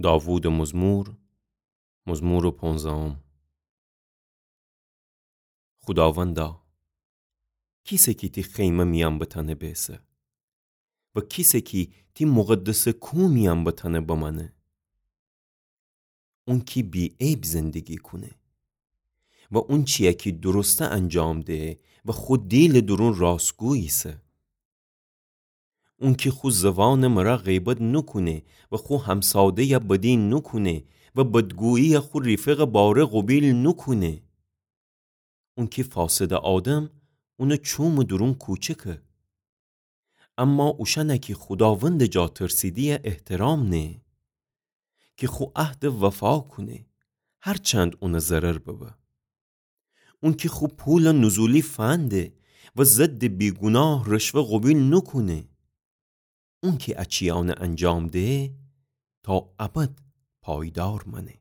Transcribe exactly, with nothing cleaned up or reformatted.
داوودٚ مزمور، مزمورٚ پونزدهم. خوداوندا، کیسه کی تی خیمه میأن بتأنه بیسه و کیسه کی تی مقدسٚ کوه میأن بتأنه بمأنه؟ اونکی بی‌عیب زندگی کونه و اونچیی کی درسته انجام دهه و خو دیلٚ دورون راستگو ایسه. اونکی خو زوانٚ مرأ غیبت نوکونه و خو همساده‌ی بدی نوکونه و بدگویی خو ریفقٚ باره قوبیل نوکونه. اونکی فاسدٚ آدم اونٚ چومٚ دورون کوچکه. اما اوشأنه کی خوداوندٚ جا ترسیده‌یه احترام نهه، کی خو عهدٚ وفا کونه، هرچند اونٚ ضرر ببه. اونکی خو پولٚ نزولی فنده و ضدٚ بیگوناه رشوه قوبیل نوکونه. اونکی ا چیأنه انجام دهه، تا ابد پایدار مأنه.